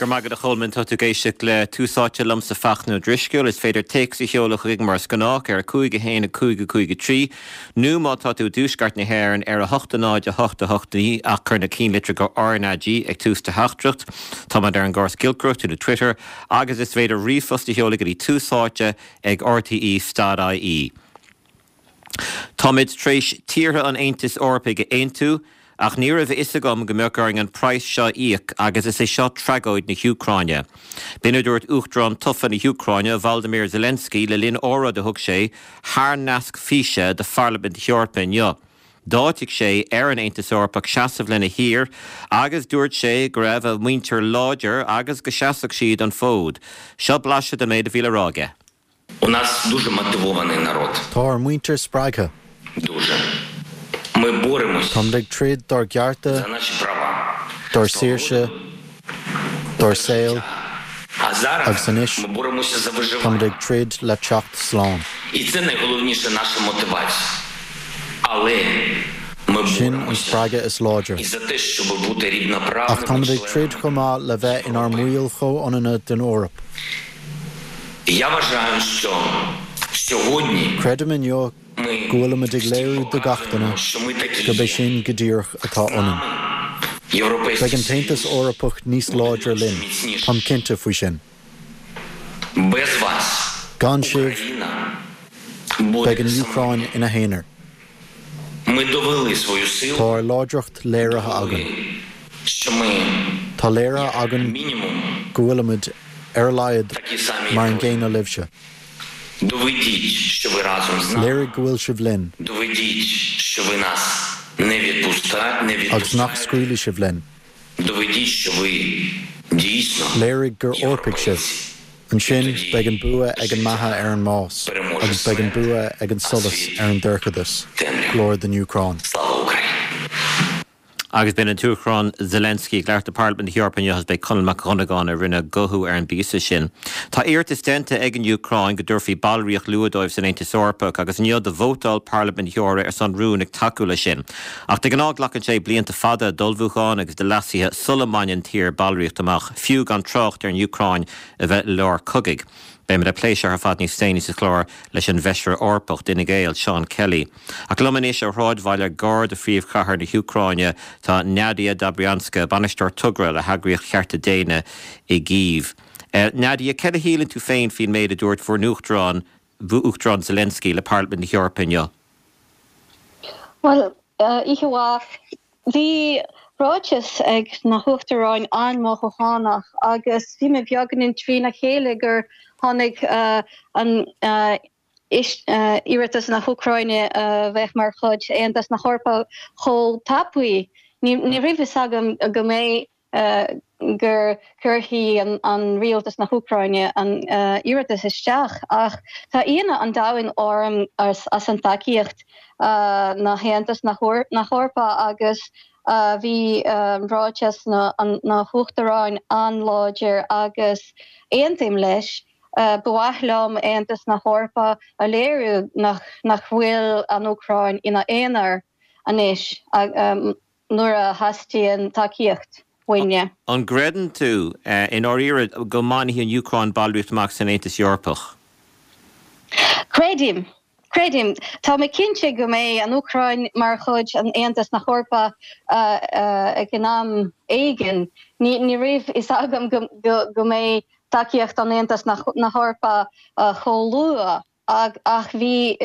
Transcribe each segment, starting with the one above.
Go raibh maith agat a Cholmáin, tá tú ag éisteacht le Tús Áite liomsa Fachtna Ó Drisceoil. Is féidir téacs a sheoladh chugainn mar is gnách ar 5 1 5 5 3 nó má tá tú i dtuaisceart na hÉireann ar 8 0 8 8 9 ach cuir na cinnlitreacha RnaG ag tús do theachtaireacht. Táimid ar an gcóras giolcaireachta nó Twitter agus is féidir ríomhphost a sheoladh go dtí tús áite ag rte.ie. Táimid tar éis tíortha an Aontais Eorpaigh a aontú, ach ní raibh a fhios agam go mbeadh orainn an praghas seo a íoc agus is é seo tragóid na hÚcráine. B'in a dúirt Uachtarán tofa na hÚcráine, Volodymyr Zelensky, le linn óráid a thug sé thar nasc físe do Pharlaimint na hEorpa inniu. D'áitigh sé ar an Aontas Eorpach seasamh lena thír agus dúirt sé go raibh a mhuintir láidir agus go seasfadh siad an fód. Seo blaiseadh den méid a bhí le rá aige. Tá ár muintir spreagtha. Táimid ag troid dár gcearta, dár saoirse, dár saol, agus anois, táimid ag troid le teacht slán. Sin an spreagadh is láidre. Ach táimid ag troid chomh maith le bheith inár mbaill chomhionanna den Eoraip. Creidim inniu go bhfuilimid ag léiriú do gach duine gurb é sin go díreach atá ionainn. Beidh an tAontas Eorpach níos láidre linn, táim cinnte faoi sin. Gan sibh, beidh an Úcráin ina haonar. Tá ár láidreacht léirithe againn. Tá léirithe againn go bhfuilimid, ar a laghad, mar an gcéanna libhse. Léirigh go bhfuil sibh linn. Agus nach scaoilfidh sibh linn. Léirigh gur Eorpaigh sibh. Ansin, beidh an bua ag an mbeatha ar an mbás, agus beidh an bua ag an solas ar an dorchadas. Glóir don Úcráin. Agus b'in an tUachtarán Zelensky ag labhairt do Pharlaimint na hEorpa inniu agus b'é Conall Mac Dhonnagáin a rinne guthú ar an bpíosa sin. Tá iarratas déanta ag an Úcráin go dtabharfaí ballraíocht luath dóibh san Aontas Eorpach agus inniu do vótáil Parlaimint na hEorpa ar son rúin ag tacú leis sin. Ach de ghnáth glacann sé blianta fada d'ullmhúchán agus de leasuithe sula mbaineann tír ballraíocht amach, fiú gan trácht ar an Úcráin a bheith i lár cogaidh. Beimid ag plé seo ar fad níos déanaí sa chlár leis an bhFeisire Eorpach d'Fhine Gael, Seán Kelly. Ach liom anois ó shráidbhaile gar do phríomhchathair na hÚcráine tá Nadia Dobrianska, bainisteoir togra le heagraíocht chearta daonna i gCív. Nadia, céard a shíleann tú féin faoin méid a dúirt bhur n-uachtarán, Uachtarán Zelensky, le Parlaimint na hEorpa inniu? Bhuel, oíche mhaith. Bhí ráiteas ag na hUachtaráin an-mhothúchánach agus bhí mé beagáinín trína chéile gur tháinig an iarratas na hÚcráine a bheith mar chuid Aontas na hEorpa chomh tapaidh. Ní raibh fhios agam go mbeidh gur cuirfidh an rialtas na hÚcráine an iarratas isteach ach tá ionadh an domhain orm as an tacaíocht na hAontas na hEorpa agus bhí ráiteas na hUachtaráin an-láidir agus aontaím leis. Ba mhaith liom Aontas na hEorpa a léiriú nach bhfuil an Úcráin ina aonar anois. nuair a theastaíonn tacaíocht uainne. An gcreideann tú, i ndáiríre, go mbainfidh an Úcráin ballraíocht amach san Aontas Eorpach? Creidim. Creidim. Tá mé cinnte go mbeidh an Úcráin mar chuid an Aontas na hEorpa ag an am éigin. Ní raibh fhios agam go mbeidh tacaíocht an Aontas na hEorpa chomh luath ach bhí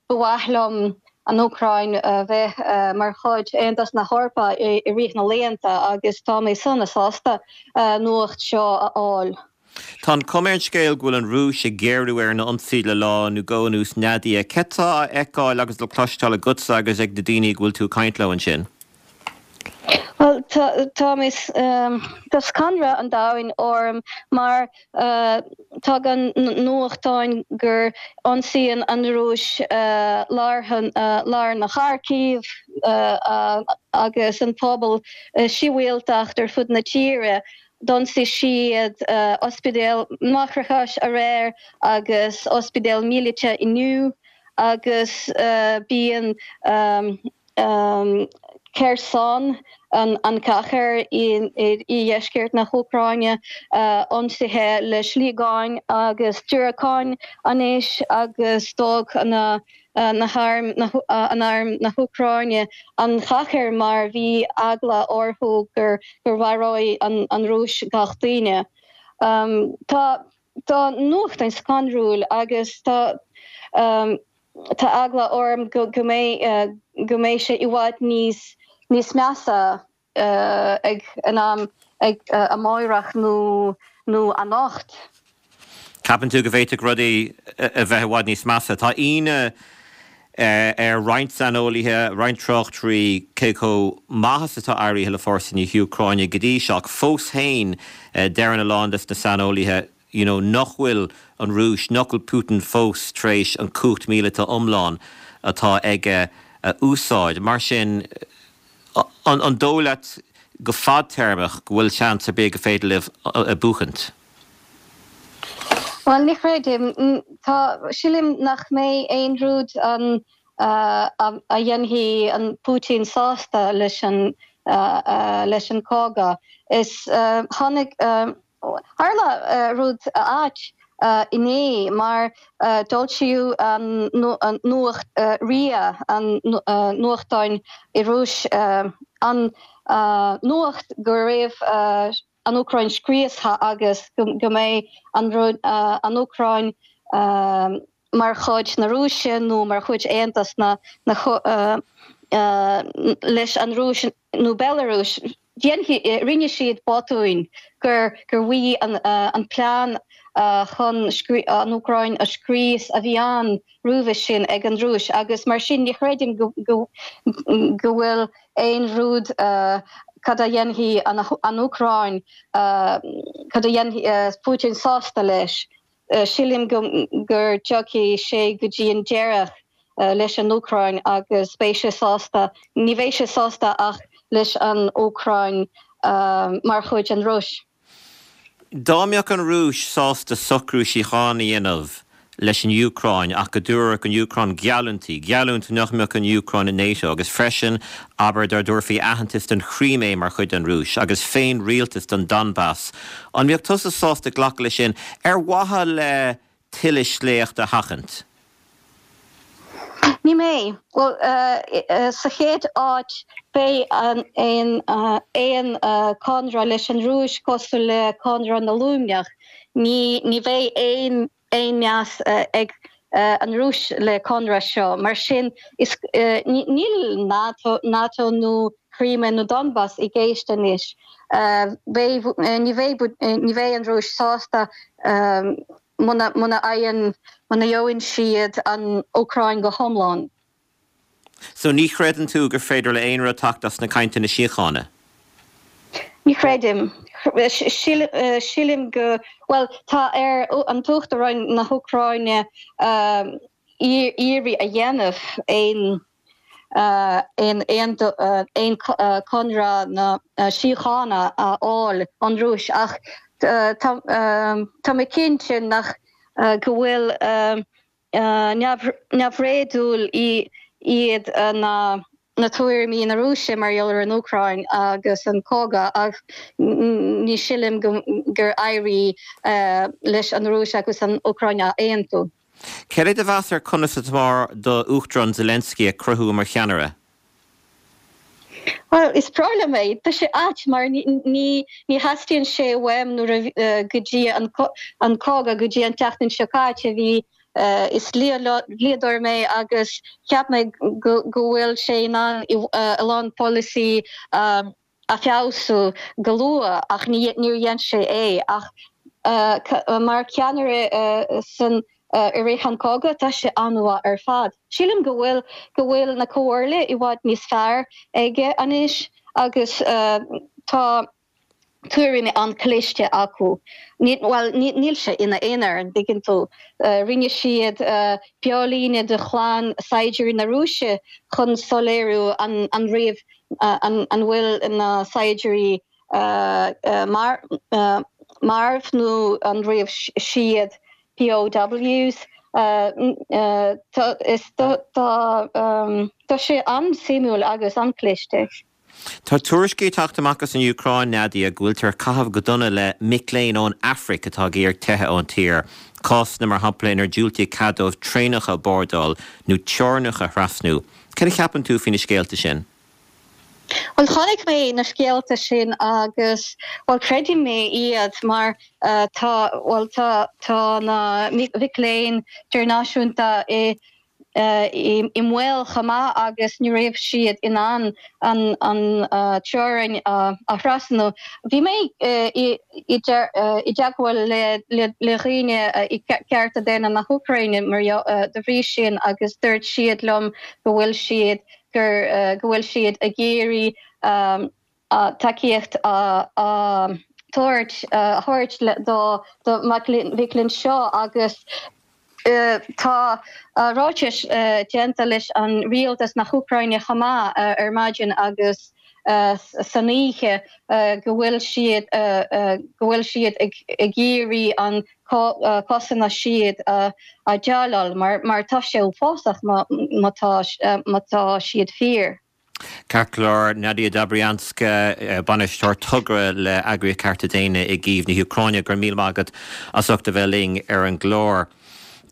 Ba mhaith liom an Úcráin a bheith mar chuid Aontas na hEorpa i rith na laethanta agus tá mé sona sásta nuacht seo a fháil. Tá an chuma ar an scéal go bhfuil an Rúis ag géarú ar an ionsaí le lá nó dhó anuas Nadia. Céard tá á fheiceáil agus le cloisteáil agatsa agus ag na daoine go bhfuil tú ag caint leo ansin? Bhuel, tá mé, tá scanradh an domhain orm mar tagann nuachtáin gur ionsaíonn an Rúis lár lár na Kharkiv agus an pobal sibhialtacht ar fud na tíre. D'ionsaigh siad ospidéal máithreachais aréir agus ospidéal míleata inniu agus bíonn. Kherson, an chathair i dheisceart na hÚcráine, ionsaithe le sliogáin agus diúracáin anois agus d'fhág na hairm an arm na hÚcráine an chathair mar bhí eagla orthu gur mharóidh an Rúis gach duine. Tá tá nuachtáin scanrúil agus tá Tá eagla orm go mbeidh go mbeidh sé i bhfad níos níos measa ag an am ag amáireach nó nó anocht. Ceapann tú go bhféadfadh rudaí a bheith i bhfad níos measa? Tá ionadh ar roinnt saineolaithe, roinnt tráchtairí cé chomh maith is atá éirithe le fórsaí na hÚcráine go dtí seo ach fós féin deireann a lán des na saineolaithe you know nach bhfuil an Rúis, nach bhfuil Putin fós tar éis an cumhacht míleata iomlán atá aige a úsáid. Mar sin, an dóigh leat go fadtéarmach go bhfuil seans ar bith go féidir libh buachaint? Bhuel, ní chreidim. Tá, sílim nach mbeidh aon rud an a dhéanfaidh an Putin sásta leis an leis an cogadh. Is tháinig Tharla rud ait inné mar d'fhoilsíodh an nuacht RIA, an nuachtáin i Rúis, an nuacht go raibh an Úcráin scriosta agus go mbeidh an Úcráin mar chuid na Rúise nó mar chuid Aontas na leis an Rúis nó Belarus. Rinne siad botúin gur gur bhí an plean chun an Úcráin a scrios a bhí ann roimhe sin ag an Rúis agus mar sin ní chreidim go go bhfuil aon rud cad a dhéanfaidh an Úcráin cad a dhéanfaidh Putin sásta leis. Sílim go gur dtiocfaidh sé go dtí an deireadh leis an Úcráin agus beidh sé sásta, ní bheidh sé sásta ach leis an Úcráin mar chuid an Rúis. Dá mbeadh an Rúis sásta socrú síochána a dhéanamh leis an Úcráin ach go dtabharfadh an Úcráin geallúintí, geallúint nach mbeadh an Úcráin i NATO agus freisin, abair, dá dtabharfaí aitheantas don Chrímé mar chuid den Rúis agus féin-rialtas don Donbas, an mbeadh tusa sásta glacadh leis sin ar mhaithe le tuilleadh sléacht a sheachaint? Ní mbeidh. Bhuel, sa chéad áit, beidh aon aon conradh leis an Rúis cosúil le Conradh na Luimneach. Ní ní bheidh aon aon meas ag an Rúis le conradh seo. Mar sin, is níl NATO, NATO nó Crimea nó Donbas i gceist anois. Beidh, ní bheidh, ní bheidh an Rúis sásta muna, muna fhaigheann, muna gheobhann siad an Úcráin go hiomlán. So ní chreideann tú gur féidir le aon rud teacht as na cainteanna síochána? Ní chreidim. Sílim go, bhuel, tá ar an tUachtarán na hÚcráine iarraidh a dhéanamh aon aon aon conradh na síochána a fháil ón Rúis ach tá mé cinnte nach go bhfuil neamhréadúil iad na tuairimí na Rúise mar gheall ar an Úcráin agus an cogadh ach ní sílim gur éirigh leis an Rúis agus an Úcráin a aontú. Céard é do mheas ar conas atá d'Uachtarán Zelensky ag cruthú mar cheannaire? Bhuel, is breá liom é. Tá sé ait mar ní ní theastaíonn sé uaim nuair a go dtí an an cogadh go dtí an tseachtain seo caite bhí is dlíodóir mé agus cheap mé go go bhfuil sé in ann a lán polasaí a feabhsú go luath ach níor dhein sé é ach mar cheannaire san i rith an cogadh tá sé an-mhaith ar fad. Sílim go bhfuil go bhfuil na comhairle i bhfad níos fearr aige anois agus tá tuairimí an-chliste acu. Bhuel níl sé ina aonar, an dtuigeann tú. Rinne siad beolíne de chlann saighdiúirí na Rúise chun soiléiriú an raibh an bhfuil na saighdiúirí marbh nó an raibh siad POWs. Tá sé an-suimiúil agus an-chliste. Tá tuairiscí ag teacht amach as an Úcráin, Nadia, go bhfuiltear ag caitheamh go dona le mic léinn ón Afraic atá ag iarraidh teitheadh ón tír. Cásanna, mar shampla, inar diúltaíodh cead dóibh traenacha a bhordáil nó teorainneacha a thrasnú. Cad a cheapann tú faoi na scéalta sin? Bhuel, chonaic mé na scéalta sin agus, bhuel, creidim mé iad mar tá, bhuel, tá, tá na mic léinn idirnáisiúnta i i mbaol chomh maith agus ní raibh siad in ann an teorainn a thrasnú. Bhí mé i dteagmháil le dhaoine i Cearta Daonna na hÚcráine mar de bhrí sin agus dúirt siad liom go bhfuil siad gur go bhfuil siad ag iarraidh tacaíocht a thabhairt a thabhairt do do mhic léinn seo agus tá ráitis déanta leis an rialtas na hÚcráine chomh maith ar maidin agus san oíche go bhfuil siad go bhfuil siad ag iarraidh an cásanna siad a dhéileáil mar tá sé uafásach má tá má tá siad fíor. Ceart go leor, Nadia Dobrianska, Bainisteoir Togra le Eagraíocht Cearta Daonna i gCív na hÚcráine, go raibh míle maith agat as ucht a bheith linn ar an gclár.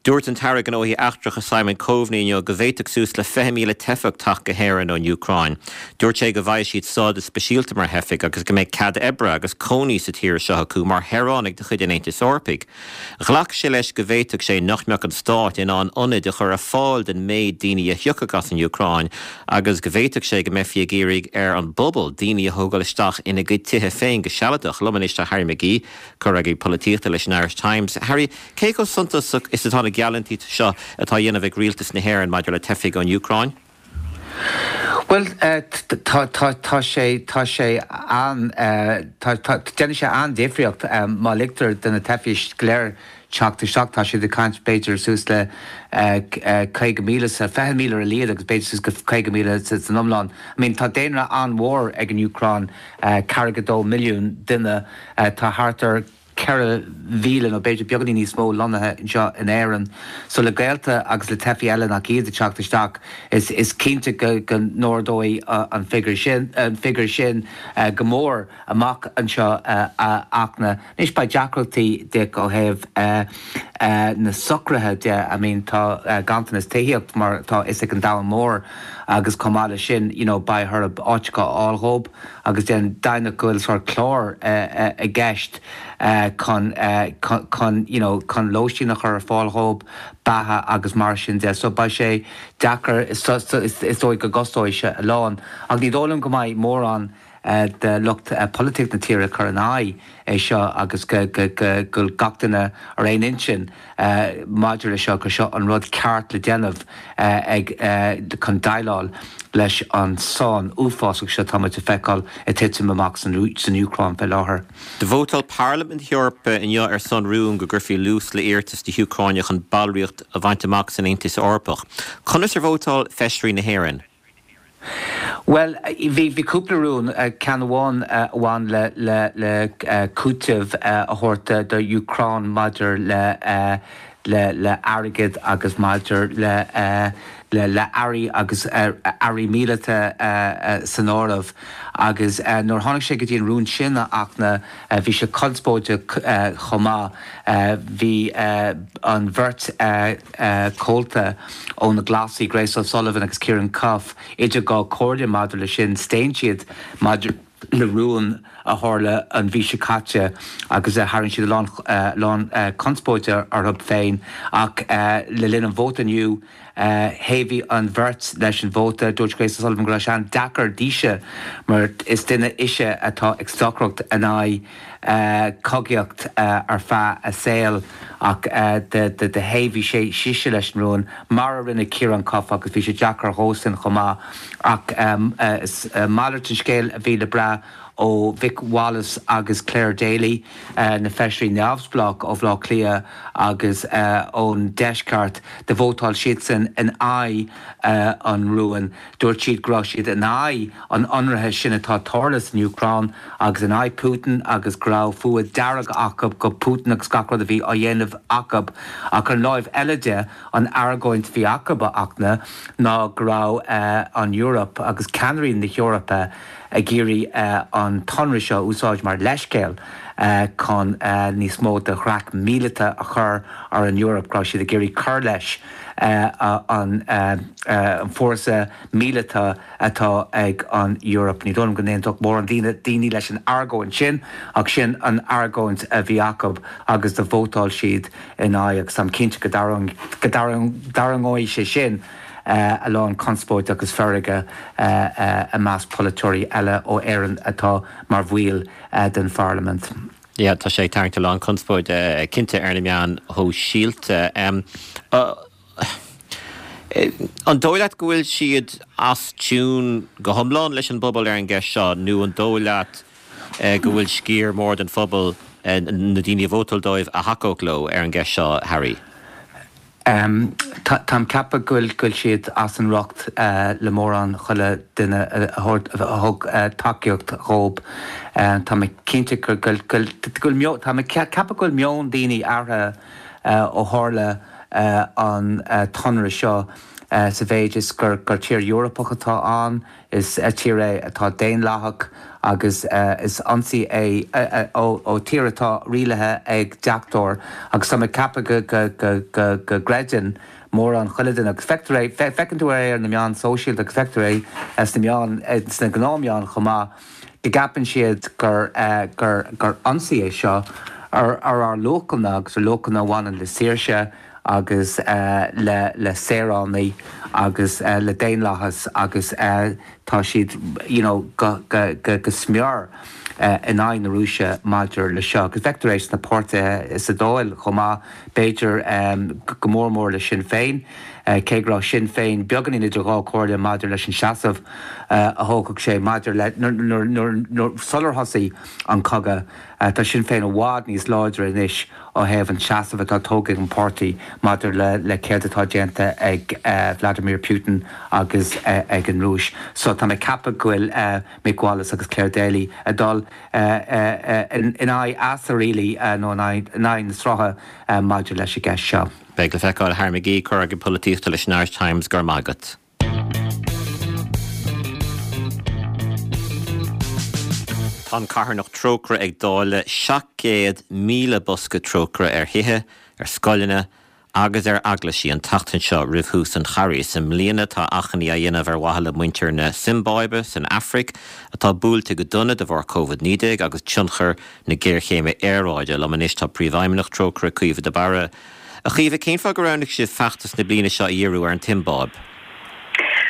Dúirt an tAire Gnóthaí Eachtracha Simon Coveney inniu go bhféadfadh suas le 20,000 teifeach teacht go hÉirinn ón Úcráin. Dúirt sé go bhfaighidh siad stádas speisialta mar theifigh agus go mbeidh cead oibre agus cónaí sa tír seo acu mar shaoránaigh de chuid an Aontais Eorpaigh. Ghlac sé leis go bhféadfadh sé nach mbeadh an stát in ann ionaid a chur ar fáil don méid daoine a thiocfadh as an Úcráin agus go bhféadfadh sé go mbeifí ag iarraidh ar an bpobal daoine a thógáil isteach ina gcuid tithe féin go sealadach. Liom anois tá Harry McGee, comhfhreagraí polaitíochta leis an Irish Times. Harry, cé chomh suntasach is atá na geallúintí seo atá á dhéanamh ag rialtas na hÉireann maidir le teifigh ón Úcráin? Bhuel, tá, tá, tá sé, tá sé an, tá, tá, déanfaidh sé an-difríocht má ligtear do na teifigh go léir teacht isteach. Tá siad ag caint b'fhéidir suas le 50,000 sa, 20,000 ar a laghad agus b'fhéidir suas go 50,000 san iomlán. I mean tá daonra an-mhór ag an Úcráin, 4.2 milliún duine, tá thart ar, 4,000 nó b'fhéidir beagáinín níos mó lonnaithe anseo in Éirinn. So le gaolta agus le teifigh eile nach iad ag teacht isteach, is is cinnte go go n-ardóidh an figiúr sin an figiúr sin go mór amach anseo a Fhachtna. Anois beidh deacrachtaí Dick ó thaobh na socruithe de, I mean tá ganntanas tithíocht mar atá fhios ag an domhan mór agus chomh maith leis sin you know beidh orthu áiteacha a fháil dhób. agus deimhneach go bhfuil sórt clár i gceist chun chun you know chun lóistín a chur ar fáil dhób, beatha agus mar sin de. So beidh sé deacair, is dóigh go gcostóidh sé a lán. Ach ní dóigh liom go mbeidh mórán de lucht polaitíocht na tíre ag cur in aghaidh é seo agus go go go bhfuil gach duine ar aon intinn maidir le seo, gur seo an rud ceart le déanamh ag chun déileáil leis an sáinn uafásach seo atá muid a feiceáil ag titim amach san Úcráin fé láthair. Do vótáil Parlaimint na hEorpa inniu ar son rúin go gcuirfí luas le iarratas na hÚcráine chun ballraíocht a bhaint amach san Aontas Eorpach. Conas ar vótáil feisirí na hÉireann? Bhuel, bhí, bhí cúpla rún, ceann amháin a bhain le, le, le cúiteamh a thabhairt do Úcráin maidir le, le, le airgead agus maidir le, le, le earraí agus earraí míleata san áireamh. Agus nuair a tháinig sé go dtí an rún sin, a Fhachtna, bhí sé conspóideach chomh maith. Bhí an bheirt chomhalta ó na Glasaigh, Grace O'Sullivan agus Ciarán Cuffe, idir dhá chomhairle maidir leis sin. Staon siad maidir le rún a tharla an mhí seo caite agus tharraing siad a lán conspóide orthu féin ach le linn an vóta inniu, Thaobhaigh an bheirt leis an vóta. Dúirt Grace O'Sullivan go raibh sé an-deacair dise mar is duine ise atá ag stocaireacht in aghaidh cogaíocht ar feadh a saoil ach do thaobhaigh sé sise leis an rún mar a rinne Ciarán Cuffe agus bhí sé deacair dhósan chomh maith ach is malairt den scéal a bhí le brath. ó Mhick Wallace agus Clare Daly, na feisirí neamhspleách ó Bhaile Átha Cliath agus ón deisceart. Do vótáil siadsan in aghaidh an rúin. Dúirt siad go raibh siad in aghaidh an ionraithe sin atá ag tarlú san Úcráin agus in aghaidh Putin agus go raibh fuath dearg acu go Putin agus gach rud a bhí á dhéanamh acu. Ach ar an láimh eile de, an argóint a bhí acu, a Fhachtna, ná go raibh an Eoraip agus ceannairí na hEorpa ag iarraidh an t-ionradh seo a úsáid mar leithscéal chun níos mó de dhreach míleata a chur ar an Eoraip, go raibh siad ag iarraidh cur leis an fórsa míleata atá ag an Eoraip. Ní dóigh liom go n-aontódh mórán daoine leis an argóint sin ach sin an argóint a bhí acu agus do vótáil siad ina aghaidh agus táim cinnte go dtarraingeoidh sé sin a lán conspóide agus feirge i measc polaiteoirí eile ó Éirinn atá mar bhaill den pharlaimint. Yeah, tá sé ag tarraingt a lán conspóide cinnte ar na meáin shóisialta. An dóigh leat go bhfuil siad as tiún go hiomlán leis an bpobal ar an gceist seo nó an dóigh leat go bhfuil sciar mór den phobal, na daoine a vótáil dóibh, a thacódh leo ar an gceist seo, Harry? Táim ceapadh go bhfuil siad as an riocht le mórán chuile duine a thug tacaíocht dhób. Tá mé cinnte go bhfuil, tá mé ceapadh go bhfuil meon daoine athraithe ó tharla an t-ionradh seo sa mhéid is gur tír Eorpach atá ann. Is tír é atá daonlathach agus is ionsaí é ó tír atá rialaithe ag deachtóir agus tá mé ag ceapadh go gcreideann mórán chuile duine agus feictear é, feiceann tú é ar na meáin sóisialta agus feictear é sna meáin, sna gnáthmheáin chomh maith, go gceapann siad gur gur ionsaí é seo ar ár luachanna agus ar luachanna a bhaineann le saoirse agus le le saoránaigh agus le daonlathas agus tá siad you know go go go go smior in aghaidh na Rúise maidir le seo agus feictear é sna páirtithe sa Dáil chomh maith b'fhéidir go mór mór le Sinn Féin cé go raibh Sinn Féin beagáinín idir dhá chomhairle maidir leis an seasamh a thógfadh sé maidir le nuair nuair nuair sular thosaigh an cogadh tá Sinn Féin i bhfad níos láidre anois ó thaobh an tseasaimh atá tógtha ag an páirtí maidir le céard atá déanta ag Vladimir Putin agus ag an Rúis. So tá mé ag ceapadh go bhfuil Mick Wallace agus Clare Daly ag dul in aghaidh easa really nó in aghaidh na srutha maidir leis an gceist seo. Beidh le feiceáil. Harry McGee, Curaidh Polaitíochta leis an Irish Times, go raibh maith agat. Tá an carthanacht Trócaire ag dáileadh 700,000 bosca Trócaire ar thithe, ar scoileanna agus ar eaglaisí an tseachtain seo roimh thús an Charghais. I mbliana tá achainí á dhéanamh ar mhaithe le muintir na Siombáibe san Afraic atá buailte go dona de bharr Covid-19 agus tionchar na géarchéime aeráide. Liom anois tá Príomhfheidhmeannach Trócaire, Caoimhe de Barra. A Chaoimhe, cén fáth gur roghnaigh sibh feachtas na bliana seo a dhíriú ar an tSiombáib?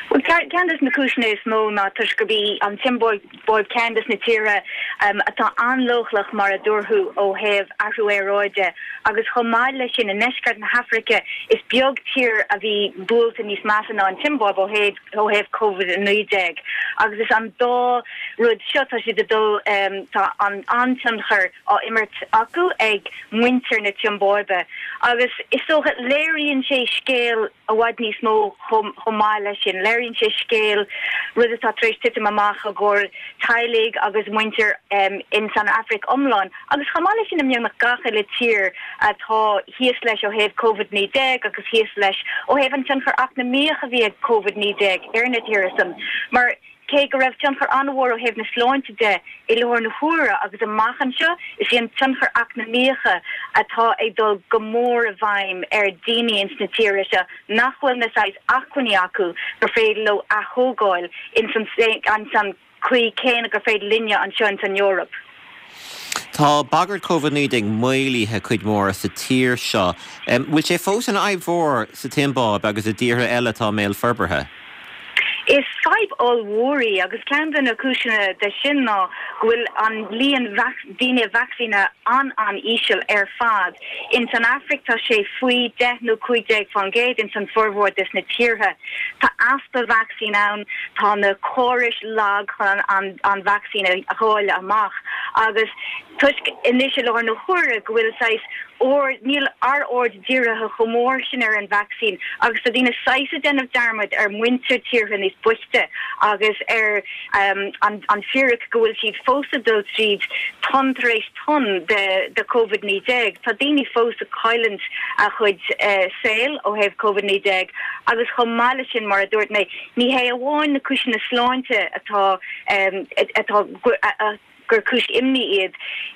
Bhuel, ceann de na cúiseanna is mó ná toisc gurb í an tSiombáib ceann de na tíortha atá an-leochaileach, mar a dúirt tú, ó thaobh athrú aeráide agus chomh maith leis sin, i ndeisceart na hAfraice, is beag tír a bhí buailte níos measa ná an tSiombáib ó thaobh ó thaobh Covid-19 agus is an dá rud seo, tá siad ag dul, tá an-tionchar á imirt acu ag muintir na Siombáibe agus is dócha, léiríonn sé scéal i bhfad níos mó chomh maith leis sin. Léiríonn sé scéal, rud atá tar éis titim amach i gcomhair teaghlaigh agus muintir ins an Afraic iomlán agus chomh maith leis sin i mbeagnach gach uile tír atá thíos leis ó thaobh Covid-19 agus thíos leis ó thaobh an tionchar eacnamaíoch a bhí ag Covid-19 ar na tíortha san mar Cé go raibh tionchar an-mhór ó thaobh na sláinte de i láthair na huaire agus amach anseo, is í an tionchar eacnamaíocha atá ag dul go mór i bhfeidhm ar daoine ins na tíortha seo nach bhfuil na saghas acmhainní acu gur féidir leo athógáil ins an chaoi céanna gur féidir linne anseo ins an Eoraip. Tá bagairt Covid-19 maolaithe cuid mhór sa tír seo. Bhfuil sé fós ina fhadhb mhór sa tSiombáib agus i dtíortha eile atá i mbéal forbartha? Is fadhb ollmhór í agus ceann de na cúiseanna de sin ná go bhfuil an líon daoine vacsaínithe an-an-íseal ar fad. Ins an Afraic tá sé faoi 10 nó 15% ins an formhór des na tíortha. Tá easpa vacsaín ann, tá na córais lag chun an vacsaín a dháileadh amach agus toisc anois i láthair na huaire go bhfuil saghas aird, níl ár aird dírithe chomh mór sin ar an vacsaín agus tá daoine saghas ag déanamh dearmad ar mhuintir tíortha níos boichte agus ar an fíric go bhfuil siad fós ag dul tríd tonn tar éis tonn de Covid-19. Tá daoine fós ag cailliúint a chuid saoil ó thaobh Covid-19 agus chomh maith leis sin, mar a dúirt mé, ní hé amháin na cúiseanna sláinte atá atá gur cúis imní iad.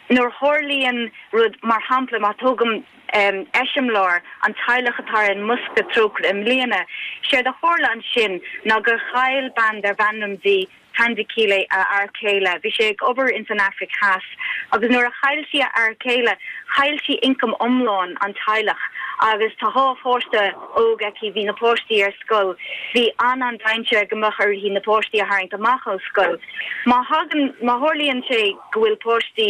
Nuair a tharlaíonn rud, mar shampla, má tógaim eiseamláir, an teaghlach atá ar an mbosca Trócaire i mbliana, séard a tharla ansin ná gur chaill bean darbh ainm di Thandekile a fhear céile. Bhí sé ag obair ins an Afraic Theas agus nuair a chaill sí a fhear céile, chaill sí ioncam iomlán an teaghlach agus tá dhá pháiste óg aici, bhí na páistí ar scoil, bhí an-an-dainséar go mbeadh uirthi na páistí a tharraingt amach ó scoil. Má thagann, má tharlaíonn sé go bhfuil páistí,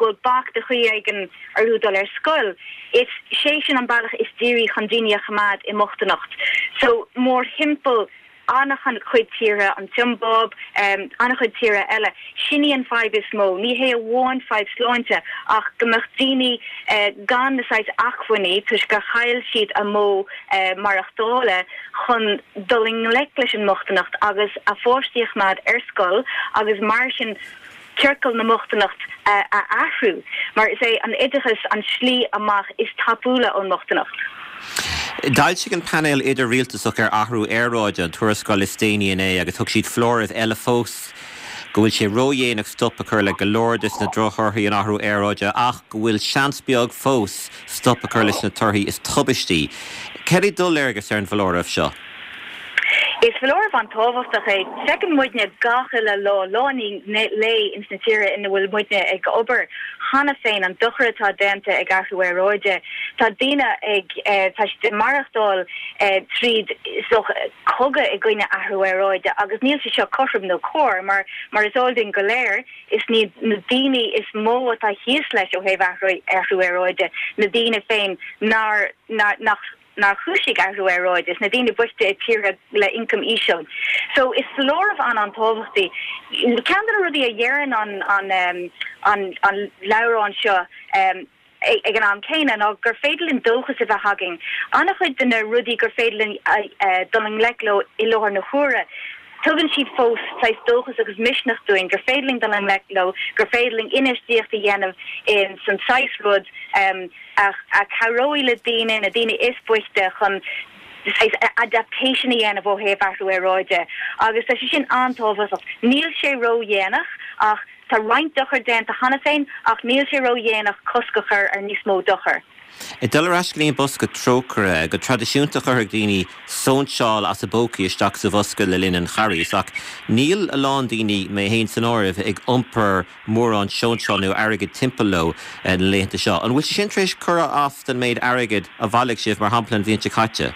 go bhfuil bac de chaoi éigin orthu dul ar scoil, is sé sin an bealach is dírí chun daoine a choimeád i mbochtaineacht. So, mórthimpeall an-chuid tíortha, an tSiombáib, an-chuid tíortha eile, sin í an fadhb is mó. Ní hé amháin fadhb sláinte ach go mbeadh daoine gan na saghas acmhainní toisc gur chaill siad a modh maireachtála chun dul i ngleic leis an mbochtaineacht agus a pháistí a choimeád ar scoil agus mar sin ciorcal na mbochtaineacht a athrú, mar is é an oideachas an slí amach is tapúla ón mbochtaineacht. D'fhoilsigh an Painéal Idir-Rialtasach ar Athrú Aeráide an tuarascáil is déanaí inné agus thug siad foláireamh eile fós go bhfuil sé ródhéanach stop a chur le go leor de na drochthorthaí an athrú aeráide ach go bhfuil seans beag fós stop a chur leis na torthaí is tubaistí. Cad é do léargas ar an bhfoláireamh seo? Is foláireamh an-tábhachtach é. Feiceann muidne gach uile lá, lá i ndiaidh lae ins na tíortha ina bhfuil muidne ag obair cheana féin an dochar atá déanta ag athrú aeráide. Tá daoine ag, tá siad ag maireachtáil tríd is dócha cogadh i gcoinne athrú aeráide agus níl sé seo cothrom nó cóir mar, mar is eol dúinn go léir, Is iad na daoine is mó atá thíos leis ó thaobh athrú aeráide, na daoine féin nár, nach, nár chúisigh athrú aeráide, is na daoine boichte i tíortha le ioncam íseal. So, is foláireamh an-an-tábhachtach é. Ceann de na rudaí a dheireann an, an, an, an leabhrán seo, ag an am céanna ná gur féidir linn dóchas a bheith againn. An-chuid de na rudaí gur féidir linn dul i ngleic leo i láthair na huaire, tugann siad fós saghas dóchas agus misneach dúinn gur féidir linn dul i ngleic leo, gur féidir linn infheistíocht a dhéanamh in san saghas rud a chabhróidh le daoine, na daoine is boichte chun saghas adaptation a dhéanamh ó thaobh athrú aeráide agus tá sé sin an-tábhachtach. Níl sé ródhéanach ach. Tá roinnt dochair déanta cheana féin ach níl sé ródhéanach cosc a chur ar níos mó dochair. Ag dul ar ais go dtí an bosca trócaire, go traidisiúnta chuirfeadh daoine sóinseáil as a bpócaí isteach sa bhosca le linn an Charghais ach níl a lán daoine, mé féin san áireamh, ag iompar mórán sóinseáil nó airgid timpeall leo na laethanta seo. An bhfuil sé sin tar éis cur as don méid airgid a bhailigh sibh, mar shampla, an bhliain seo caite?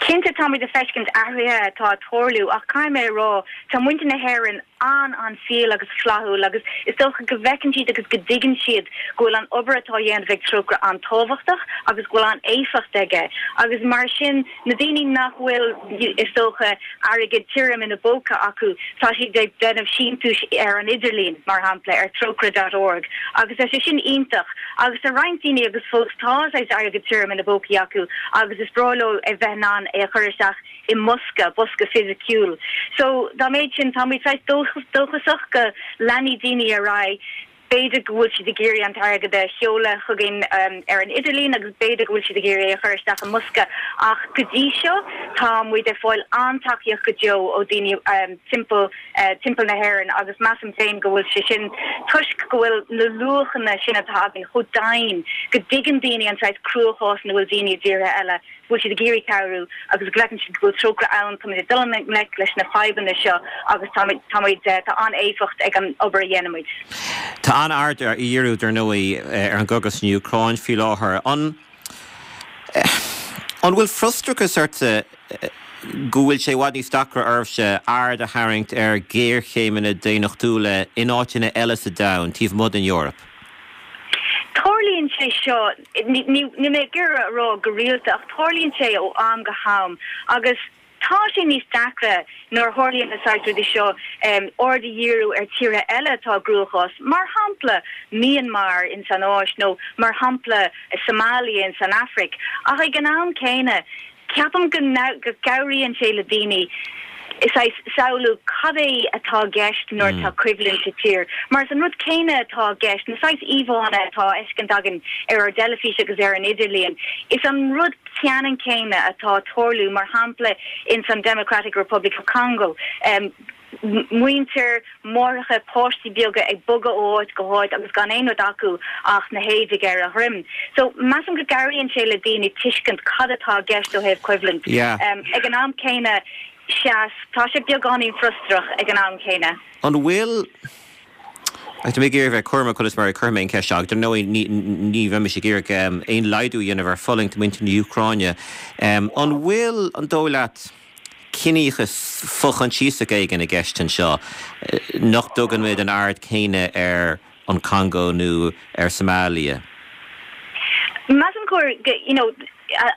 Cinnte táimid ag feiscint athruithe atá ag tarlú ach caithfidh mé a rá, tá muintir na hÉireann an-an-fial agus flaithiúil agus is dócha go bhfeiceann siad agus go dtuigeann siad go bhfuil an obair atá á dhéanamh ag Trócaire an-tábhachtach agus go bhfuil an-éifeacht aige agus mar sin na daoine nach bhfuil is dócha airgead tirim ina bpóca acu tá siad ag déanamh síntiúis ar an idirlíon mar shampla ar Trócaire dot org agus tá sé sin iontach agus tá roinnt daoine agus fós tá saghas airgead tirim ina bpócaí acu agus is breá leo a bheith in ann é a chur isteach i mbosca, bosca fisiciúil. So, dá mhéad sin, táimid saghas dóchasach go leanfaidh daoine ar aghaidh. B'fhéidir go bhfuil siad ag iarraidh an t-airgead a sheoladh chugainn ar an idirlíon agus b'fhéidir go bhfuil siad ag iarraidh é a chur isteach i mbosca ach go dtí seo tá muid ag fáil an-tacaíocht go deo ó daoine timpeall timpeall na hÉireann agus measaim féin go bhfuil sé sin toisc go bhfuil na luachanna sin atá againn chomh domhain go dtuigeann daoine an saghas cruachás ina bhfuil daoine i dtíortha eile. go bhfuil siad ag iarraidh cabhrú agus go bhfeiceann siad go bhfuil Trócaire ann, táimid ag dul i ngleic leis na fadhbanna seo agus táimid, táimid, tá an-éifeacht ag an obair a dhéanaimid. Tá an-aird á dhíriú, dar ndóigh, ar an gcogadh san Úcráin faoi láthair. An, an bhfuil frustrachas ort? go bhfuil sé i bhfad níos deacra oraibhse aird a tharraingt ar ghéarchéimeanna daonnachtúla in áiteanna eile sa domhan, taobh amuigh den Eoraip? Tarlaíonn sé seo, níl mé ag iarraidh a rá go rialta, ach tarlaíonn sé ó am go ham agus tá sé níos deacra nuair a tharlaíonn na saghas rudaí seo aird a dhíriú ar tíortha eile atá i gcruachás, mar shampla Myanmar ins an Áis nó mar shampla Somalia ins an Afraic. Ach ag an am céanna, Ceapaim go gcabhraíonn sé le daoine saghas samhlú cad é atá i gceist nuair atá coimhlint i tír. Mar is an rud céanna atá i gceist, na saghas íomhánna atá á fheiscint againn ar ár dteilifís agus ar an idirlíon, is an rud ceannann céanna atá ag tarlú, mar shampla ins an Democratic Republic of Congo. muintir, máithreacha, páistí beaga ag bogadh ó áit go háit agus gan aon rud acu ach na héadaigh ar a dhroim. So, measaim go gcabhraíonn sé le daoine tuiscint cad atá i gceist ó thaobh coimhlint. Ag an am céanna, sea, tá sé beagáinín frustrach ag an am céanna. An bhfuil, tá mé ag iarraidh bheith cúramach conas mar a chuirfidh mé an cheist seo, ach dar ndóigh ní bheimis ag iarraidh aon laghdú a dhéanamh ar fulaingt muintir na hÚcráine. An bhfuil, an dóigh leat, ciníochas fo-choinsiasach éigin i gceist anseo, nach dtugann muid an aird chéanna ar an Chongó nó ar Somalia. Measaim gur, you know,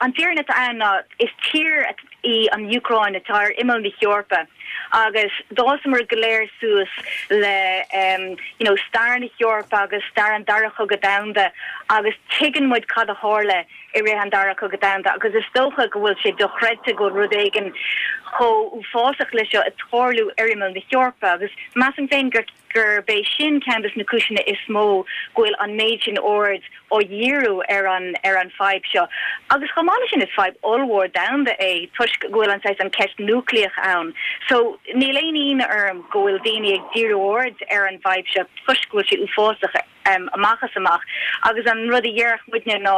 an fhírinne atá ann ná is tír í an Úcráin atá ar imeall na hEorpa agus d'fhásamar go léir suas le, you know, stair na hEorpa agus stair an Dara Chogadh Domhanda agus tuigeann muid cad a tharla i rith an Dara Cogadh Domhanda agus is dócha go bhfuil sé dochreidte go bhfuil rud éigin chomh uafásach le seo ag tarlú ar imeall na hEorpa agus measaim féin gur gurb é sin ceann de na cúiseanna is mó go bhfuil an méid sin aird á dhíriú ar an ar an fadhb seo. Agus chomh maith leis sin is fadhb ollmhór domhanda é toisc go bhfuil an saghas an ceist núicléach ann. So níl aon ionadh orm go bhfuil daoine ag díriú aird ar an bhfadhb seo toisc go bhfuil sé uafásach. amach is amach. Agus an rud a dhéarfadh muidne ná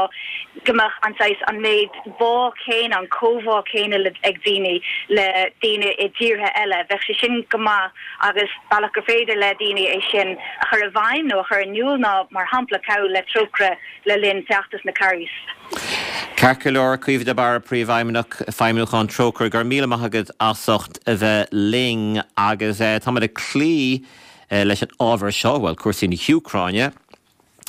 go mbeadh an saghas, an méid bá céanna, an comhbhá céanna le, ag daoine le daoine i dtíortha eile. Bheadh sé sin go maith agus bealach gur féidir le daoine é sin a chur i bhfeidhm nó a chur in iúl ná, mar shampla, cabhrú le Trócaire le linn feachtas na Carghais. Ceart go leor, Caoimhe de Barra, Príomhfheidhmeannach Feidhmiúcháin Trócaire, go raibh míle maith agat as ucht a bheith linn agus táimid ag cloí leis an ábhar seo, bhuel, cúrsaí na hÚcráine,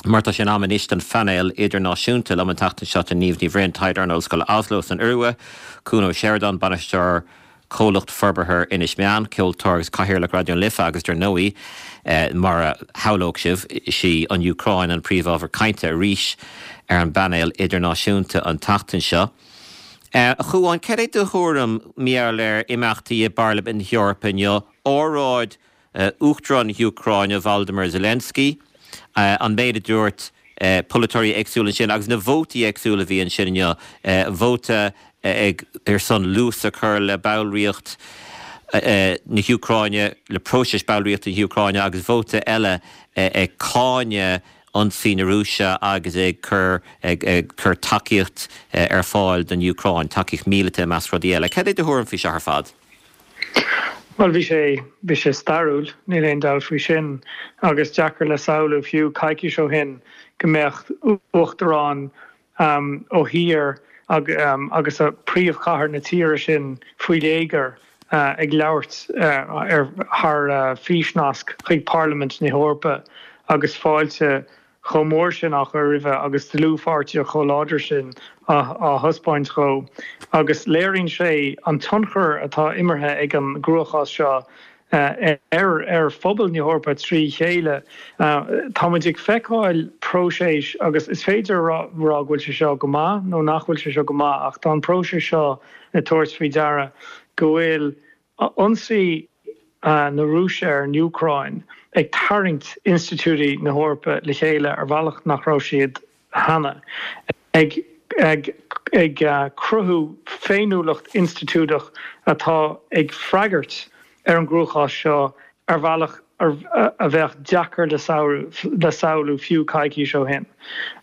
mar tá sé in am anois don phainéal idirnáisiúnta. Liom an tseachtain seo tá Niamh Ní Bhroin, taighdeoir in Ollscoil Oslo san Iorua, Cuan Ó Seireadáin, bainisteoir Comhlacht Forbartha Inis Meáin, ceoltóir agus Cathaoirleach Raidió na Life agus dar ndóigh, mar a shamhlódh sibh, is í an Úcráin an príomhábhar cainte arís ar an bpainéal idirnáisiúnta an tseachtain seo. A Chuáin, cad é do thuairim mar gheall ar imeachtaí i bParlaimint na hEorpa inniu, óráid Uachtarán na hÚcráine Volodymyr Zelensky, an méid a dúirt polaiteoirí éagsúla ansin agus na vótaí éagsúla a bhí ansin inniu, vóta ag ar son luas a chur le ballraíocht na hÚcráine, le próiseas ballraíochta na hÚcráine agus vóta eile ag cáineadh ionsaí na Rúise agus ag cur ag cur tacaíocht ar fáil don Úcráin, tacaíocht mhíleata i measc rudaí eile. Cad é do thuairim faoi seo ar fad? Bhuel, bhí sé, bhí sé stairiúil, níl aon dabht faoi sin, agus deacair le samhlú fiú coicís ó shin go mbeadh uachtarán ó thír agus príomhchathair na tíre sin faoi léigear ag labhairt ar thar físnasc chuig Parlaimint na hEorpa agus fáilte chomh mór sin á chur roimhe agus dlúthpháirtíocht chomh láidir sin á thaispeáint dhó agus léiríonn sé an tionchar atá imeartha ag an gcruachás seo ar ar phobal na hEorpa trí chéile. Tá muid ag feiceáil próiseas agus is féidir a rá go bhfuil sé seo go maith nó nach bhfuil sé seo go maith ach tá an próiseas seo ag tabhairt faoi deara go bhfuil Ionsaí na Rúise ar an Úcráin ag tarraingt institiúidí na hEorpa le chéile ar bhealach nach raibh siad cheana, ag ag cruthú féiniúlacht institiúideach atá ag freagairt ar an gcruachás seo ar bhealach a bheadh deacair le samhlú fiú coicís ó shin.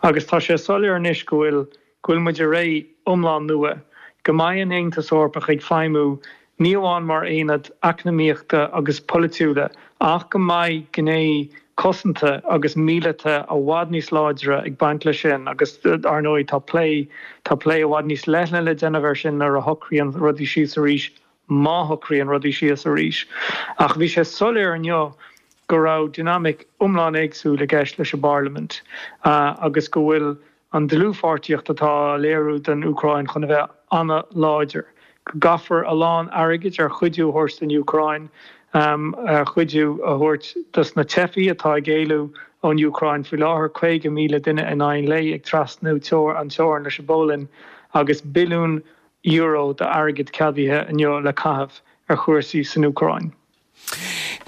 Agus tá sé soiléir anois go bhfuil go bhfuil muid i ré iomlán nua, go mbeidh an Aontas Eorpach ag feidhmiú ní amháin mar aonad eacnamaíochta agus polaitiúla ach go mbeidh gné. cosanta agus míleata i bhfad níos láidre ag baint leis sin agus ar ndóigh tá plé, tá plé i bhfad níos leithne le déanamh air sin nuair a shocraíonn rudaí síos arís, má shocraíonn rudaí síos arís. Ach bhí sé soiléir inniu go raibh dinimic iomlán éagsúil i gceist leis an bParlaimint agus go bhfuil an dlúthpháirtíocht atá á léiriú don Úcráin chun a bheith an-láidir, go gcaithfear a lán airgid ar chuidiú a thabhairt don Úcráin, ar chuidiú a thabhairt dos na teifigh atá ag éalú ón Úcráin faoi láthair, 50,000 duine in aghaidh an lae ag trasnú an teorainn leis an bPolainn, agus billiún euro d'airgead ceadaithe inniu le caitheamh ar chúrsaí san Úcráin.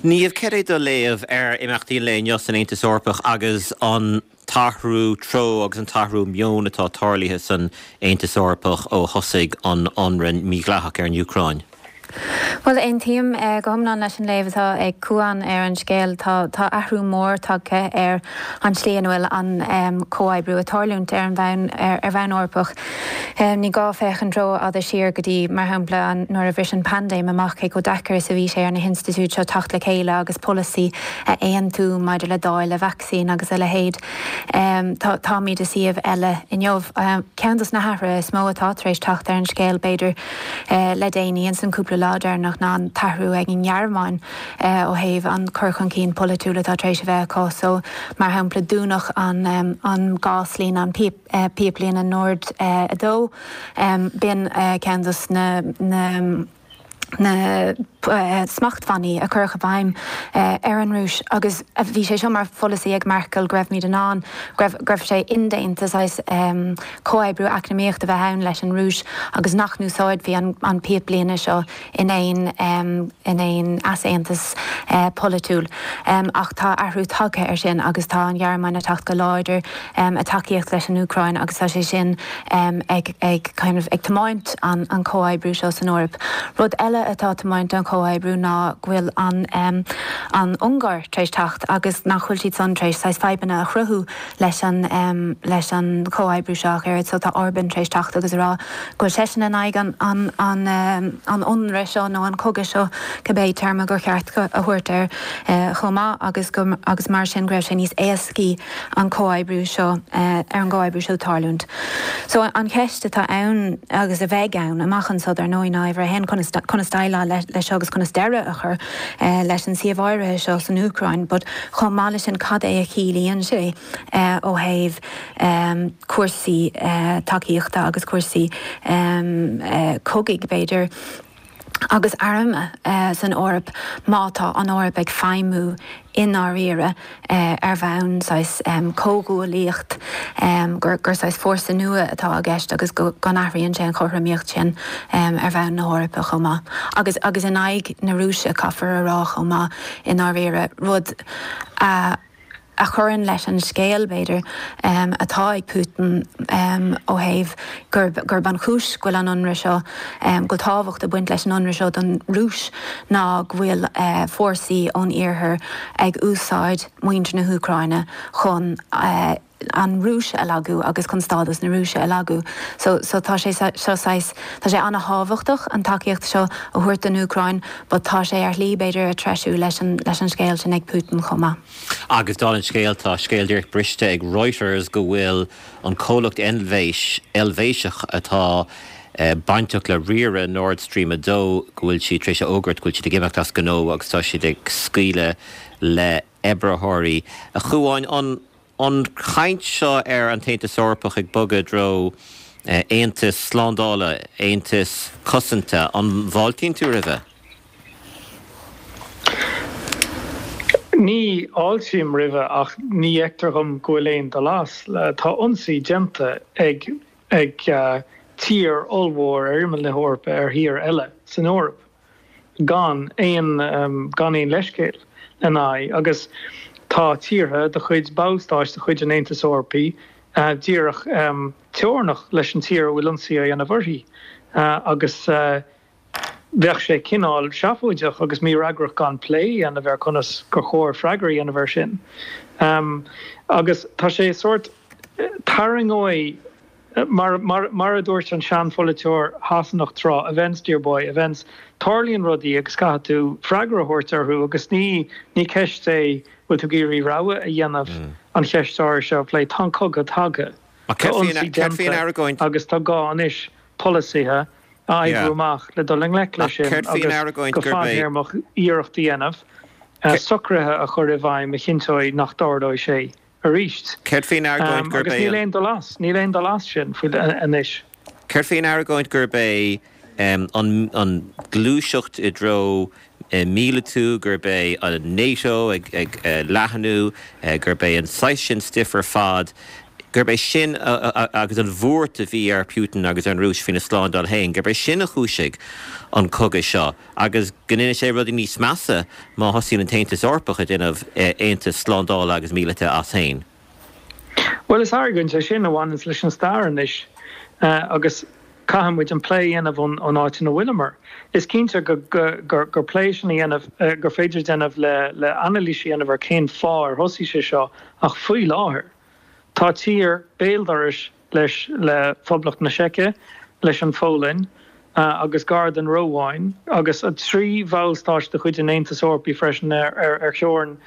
Niamh, céard é do léamh ar imeachtaí an lae inniu san Aontas Eorpach agus an t-athrú treo agus an t-athrú meoin atá tarlaithe san Aontas Eorpach ó thosaigh an t-ionradh mídhleathach ar an Úcráin? Bhuel, aontaím go hiomlán leis an léamh atá ag Cuán ar an scéal. Tá tá athrú mór tagtha ar an tslí ina bhfuil an comhoibriú ag tarlúint ar an bhonn ar bhonn Eorpach. Ní gá féachaint rófhada siar go dtí, mar shampla, nuair a bhris an paindéim amach, cé chomh deacair is a bhí sé ar na hinstitiúid seo teacht le chéile agus polasaí a aontú maidir le dáileadh vacsaín agus a leithéid. Táimid i suíomh eile inniu. Ceann dos na hathruithe is mó atá tar éis teacht ar an scéal, b'fhéidir, le déanaí, ins an cúpla lá deireanach, ná an t-athrú ag an nGearmáin ó thaobh an cur chun cinn polaitiúil atá tar éis a bheith acu. So, mar shampla, dúnadh an gáslíne, an píopa. píoplíne Nord 2. B'in ceann dos na na smachtbhannaí a cuireadh i bhfeidhm ar an Rúis agus bhí sé seo mar pholasaí ag Merkel go raibhimid in ann, go raibh, go raibh sé indéanta saghas comhoibriú eacnamaíochta a bheith ann leis an Rúis agus nach n-úsáidfí an píoplíne seo in aon in aon easaontas polaitiúil. Ach tá athrú tagtha air sin agus tá an Ghearmáin ag teacht go láidir i dtacaíocht leis an Úcráin agus tá sé sin ag ag kind of ag tiomáint an an comhoibriú seo san Eoraip. Rud eile atá ag tiomáint an chomhoibriú ná go bhfuil an an Ungáir tar éis teacht agus nach bhfuil siad san tar éis saghas fadhbanna a chruthú leis an leis an chomhoibriú seo ach oiread so tá Orban tar éis teacht agus a rá go bhfuil seisean in aghaidh an an an an ionradh seo nó an cogadh seo cibé téarma gur cheart a thabhairt air chomh maith agus go agus mar sin go raibh sé níos éascaí an comhoibriú seo ar an gcomhoibriú seo tarlúint. So an cheist atá ann agus a bheidh ann amach anso dar ndóigh ná uimhir a haon conas conas déileáil leis seo agus conas deireadh a chur leis an suíomh áirithe seo san Úcráin but chomh maith leis sin cad é a chiallaíonn sé ó thaobh cúrsaí tacaíochta agus cúrsaí cogaidh b'fhéidir agus airm san Eoraip má tá an Eoraip ag feidhmiú i ndáiríre ar bhonn saghas comhghuaillíocht, gur saghas fórsa nua atá i gceist agus go n-athraíonn sé an chothromaíocht sin ar bhonn na hEorpa chomh maith. Agus agus in aghaidh na Rúise, caithfear a rá chomh maith, i ndáiríre, rud a a chuireann leis an scéal, b'fhéidir, atá ag Putin ó thaobh gurb gurb an chúis go bhfuil an ionradh seo, go bhfuil tábhacht ag baint leis an ionradh seo don Rúis ná go bhfuil fórsaí ón iarthar ag úsáid muintir na hÚcráine chun an Rúis a lagú agus chun stádas na Rúise a lagú. So so tá sé seo saghas, tá sé an-thábhachtach an tacaíocht seo a thabhairt don Úcráin but tá sé ar shlí b'fhéidir ag treisiú leis an leis an scéal sin ag Putin chomh maith. Agus dála an scéil, tá scéal díreach briste ag Reuters go bhfuil an comhlacht Eilvéis, Eilvéiseach atá bainteach le riaradh Nord Stream 2, go bhfuil siad tar éis a fhógairt go bhfuil siad ag imeacht as gnó agus tá siad ag scaoileadh le oibritheoirí. A Chuáin, an an chaint seo ar an tAontas Eorpach ag bogadh i dtreo aontas slándála, aontas cosanta, an bhfáiltíonn tú roimhe? Ní fháiltím roimhe ach ní fheictear dhom go bhfuil aon dul as. Tá ionsaí déanta ag ag tír ollmhór ar imeall na hEorpa ar thír eile san Eoraip gan aon gan aon leithscéal lena aghaidh agus tá tíortha de chuid ballstáit de chuid an Aontais Eorpaigh díreach teorannach leis an tír a bhfuil ionsaí á dhéanamh uirthi agus Bheadh sé cineál seafóideach agus mífhreagrach gan plé a dhéanamh ar conas gur chóir freagra a dhéanamh air sin. Agus tá sé sórt, tarraingeoidh, mar, mar, mar a dúirt an seanpholaiteoir Shasanach tráth, events dear boy, events, tarlaíonn rudaí agus caithfidh tú freagra a thabhairt orthu agus ní, ní ceist é. Bhfuil tú ag iarraidh rogha a dhéanamh an cheist áirithe seo a phlé? Tá an cogadh tagtha. Tá ionsaí déanta agus tá gá anois polasaithe a oibriú amach le dul i ngleic leis sin agus go fadthéarmach iarracht a dhéanamh socruithe a chur i bhfeidhm a chinnteoidh nach dtarlóidh sé arís. Céard faoin argóint gurb é an. Agus níl aon dul as, níl aon dul as sin faoi anois. Céard faoin argóint gurb é an ghluaiseacht i dtreo míleatú, gurb é an NATO ag leathnú, gurb é an saghas sin stuif ar fad, gurb é sin agus an bhuairt a bhí ar Putin agus ar an Rúis faoina slándáil féin, gurb é sin a chúisigh an cogadh seo agus go ndéanfaidh sé rudaí níos measa má thosaíonn an tAontas Eorpach ag déanamh aontas slándála agus míleata as féin. Bhuel, is argóint é sin a bhaineanns leis an stair anois agus caithfidh muid an plé a dhéanamh ón áit ina bhfuileamar. Is cinnte gur plé sin a dhéanamh, gur féidir déanamh le anailís a dhéanamh ar cén fáth ar thosaigh sé seo ach faoi láthair tá tír béal dorais leis le Phoblacht na Seice, leis an Pholainn agus gar don Rómháin agus 3 bhallstáit de chuid an Aontais Eorpaigh freisin ar theorainn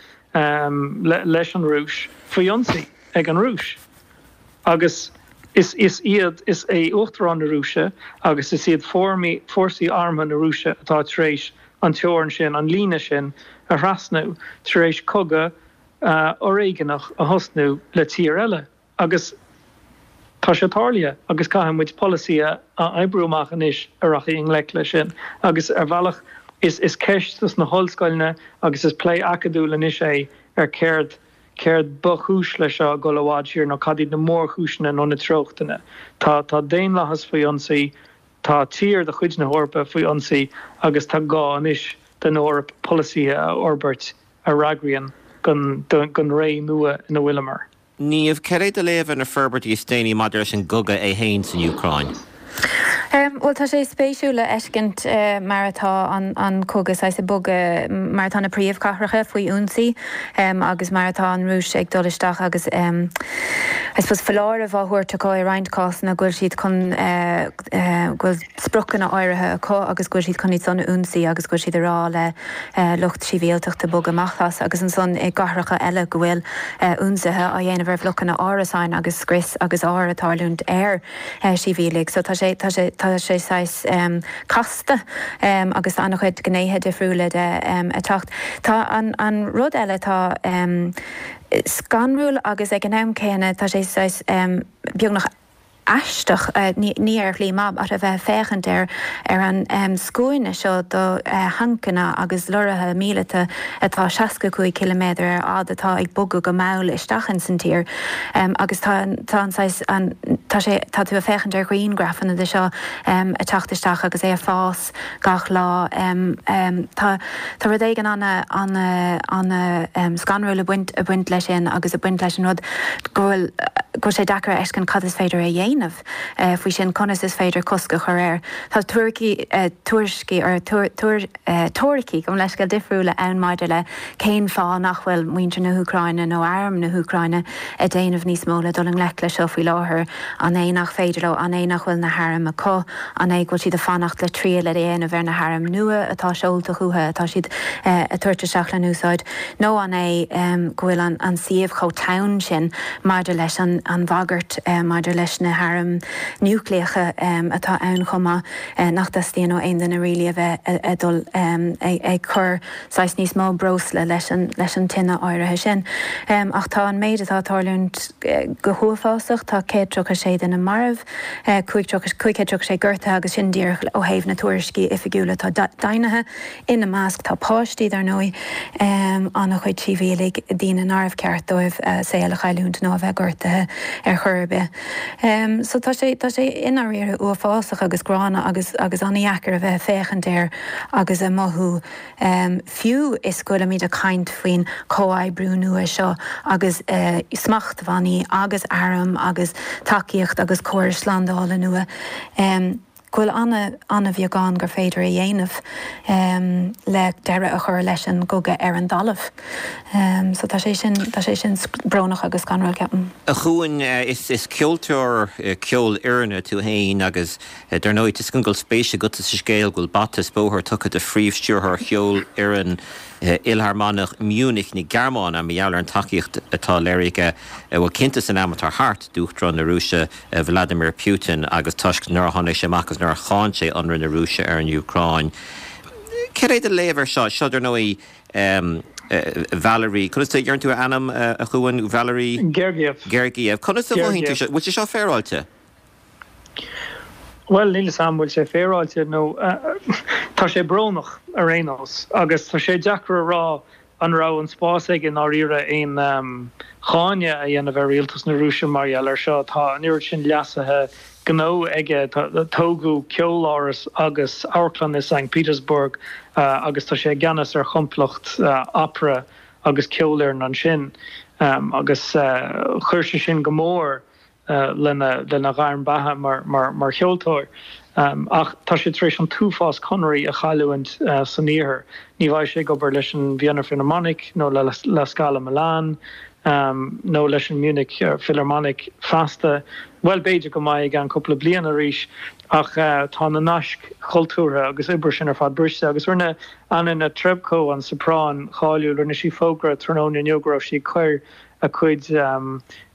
leis an Rúis faoi ionsaí ag an Rúis. Agus is iad, is é Uachtarán na Rúise agus is iad fórsaí armtha na Rúise atá tar éis an teorainn sin, an líne sin a thrasnú, tar éis cogadh fhoréigeanach a thosnú le tír eile. Agus tá sé tarlaithe agus caithfidh muid polasaí a oibriú amach anois a rachaidh i ngleic leis sin. Agus ar bhealach is is ceist dos na hollscoileanna agus is plé acadúil anois é ar céard céard ba chúis leis seo ag dul i bhfad siar nó cad iad na mórchúiseanna nó na treochtanna. Tá tá daonlathas faoi ionsaí, tá tír de chuid na hEorpa faoi ionsaí agus tá gá anois don Eoraip polasaithe a fhorbairt a fhreagraíonn don don ré nua ina bhfuileamar. Niamh, cad é do léamh ar na forbairtí is déanaí maidir leis an gcogadh é féin san Úcráin? Bhuel, tá sé spéisiúil a fheiscint mar atá an cogadh saghas ag bogadh, mar atá na príomhchathracha faoi ionsaí agus mar atá an Rúis ag dul isteach agus I suppose foláireamh á thabhairt acu i roinnt cásanna go bhfuil siad chun, go bhfuil spriocanna áirithe acu agus go bhfuil siad chun iad san a ionsaí agus go bhfuil siad ag rá le lucht sibhialtachta bogadh amach as agus ansan i gcathracha eile go bhfuil ionsaithe á dhéanamh ar bhlocanna árasáin agus scrios agus ár ag tarlúint ar shibhialaigh. So tá sé, tá sé, tá sé saghas casta agus tá an-chuid gnéithe difriúla de ag teacht. Tá an, an rud eile atá scanrúil agus ag an am céanna tá sé saghas beagnach aisteach, ní ar shlí maith, ach a bheith ag féachaint ar ar an scuaine seo de thancanna agus lorraithe míleata atá 65 ciliméadar ar fhad atá ag bogadh go mall isteach ins an tír agus tá tá an saghas an tá sé tá tú ag féachaint ar ghrianghrafanna de seo ag teacht isteach agus é ag fás gach lá. Tá tá rud éigin ana ana ana scanrúil ag baint ag baint leis sin agus ag baint leis an rud go bhfuil go bhfuil sé deacair a fheiscint cad is féidir a dhéanamh faoi sin, conas is féidir cosc a chur air. Tá tuaircí tuairiscí or tuair tuair teoiricí gabh mo leithscéal difriúla ann maidir le cén fáth nach bhfuil muintir na hÚcráine nó arm na hÚcráine ag déanamh níos mó le dul i ngleic leis seo faoi láthair. An é nach féidir leo? An é nach bhfuil na hairm acu? An é go bhfuil siad ag fanacht le triail a dhéanamh ar na hairm nua atá seolta chucu, atá siad ag tabhairt isteach le n-úsáid? Nó an é go bhfuil an suíomh chomh teann sin maidir leis an bhagairt maidir leis na hairm núicléacha atá ann chomh maith nach dteastaíonn ó aon duine really a bheith ag dul ag cur saghas níos mó breosla leis an leis an tine áirithe sin. Ach tá an méid atá ag tarlúint go huafásach, tá 136 duine marbh, 536 gortaithe agus sin díreach ó thaobh na tuairiscí oifigiúla atá deimhnithe. Ina measc tá páistí, dar ndóigh, an-chuid sibhialaigh, daoine nárbh cheart dóibh a saol a chailliúint nó a bheith gortaithe ar chor ar bith. So tá sé, tá sé i ndáiríre uafásach agus gránna agus agus an-dheacair a bheith ag féachaint air agus ag mothú fiú is go bhfuilimid ag caint faoin chomhoibriú nua seo agus smachtbhannaí agus airm agus tacaíocht agus córais slándála nua, go bhfuil an-an-bheagán gur féidir a dhéanamh le deireadh a chur leis an gcogadh ar an dtalamh. So tá sé sin, tá sé sin brónach agus scanrúil, ceapaim. A Chuain, is ceoltóir ceolfhoirne tú féin agus Dar ndóigh, tá a fhios agam go bhfuil spéis agatsa sa scéal go bhfuil bata is bóthar tugtha do phríomhstiúrthóir Cheolfhoireann. Fhilharmónach Munich na Gearmáine mar gheall ar an tacaíocht atá léirithe aige, bhuel cinnte san am atá thart, d'Uachtarán na Rúise Vladimir Putin agus toisc nár tháinig sé amach agus nár cháin sé ionradh na Rúise ar an Úcráin. Céard é do léamh air seo? Seo, dar ndóigh, Valery, conas a deireann tú a ainm, a Chuain? Valery? Gergiev. Gergiev. Conas a mhothaíonn tú seo? Bhfuil sé seo féaráilte? Bhuel, níl 'fhios a'm bhfuil sé féaráilte nó tá sé brónach ar aon nós agus tá sé deacair a rá an raibh an spás aige i ndáiríre aon cháineadh a dhéanamh ar rialtas na Rúise mar gheall air seo. Tá an oiread sin leasaithe gnó aige, tógadh ceoláras agus amharclann i Sankt Petersburg agus tá sé i gceannas ar chomplacht opera agus ceolfhoireann ansin agus chuir sé sin go mór lena ghairm beatha mar cheoltóir. Ach tá sé tar éis an t-uafás conairí a chailliúint san iarthar. Ní bheidh sé ag obair leis an Vienna Philharmonic nó le La Scala Milan nó leis an Munich Philharmonic feasta. Bhuel, b'fhéidir go mbeidh i gceann cúpla bliain arís, ach tá na naisc chultúrtha agus oibre sin ar fad briste. Agus rinne Anna Netrebko, an soprán cháiliúil, rinne sí fógra tráthnóna inniu go raibh sí ag cur a cuid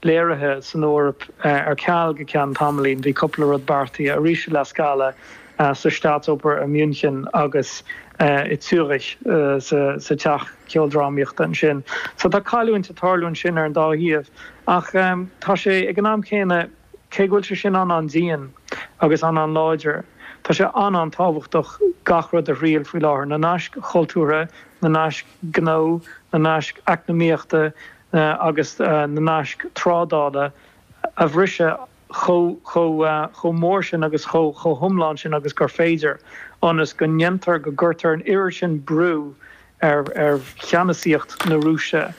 léirithe san Eoraip ar ceal go ceann tamaillín. Bhí cúpla rud beartaithe arís i La Scala, sa Staatsoper i München agus i Zürich sa teach ceoldrámaíochta ansin. So tá cailliúint ag tarlú ansin ar an dá thaobh. Ach tá sé ag an am céanna, cé go bhfuil sé sin an-an-dian agus an-an-láidir, tá sé an-an-tábhachtach gach rud a thriail faoi láthair, na naisc chultúrtha, na naisc gnó, na naisc eacnamaíochta agus na naisc trádála a bhriseadh chomh mór sin agus chomh hiomlán sin agus gur féidir, ionas go ndéantar, go gcuirtear an oiread sin brú ar cheannasaíocht na Rúise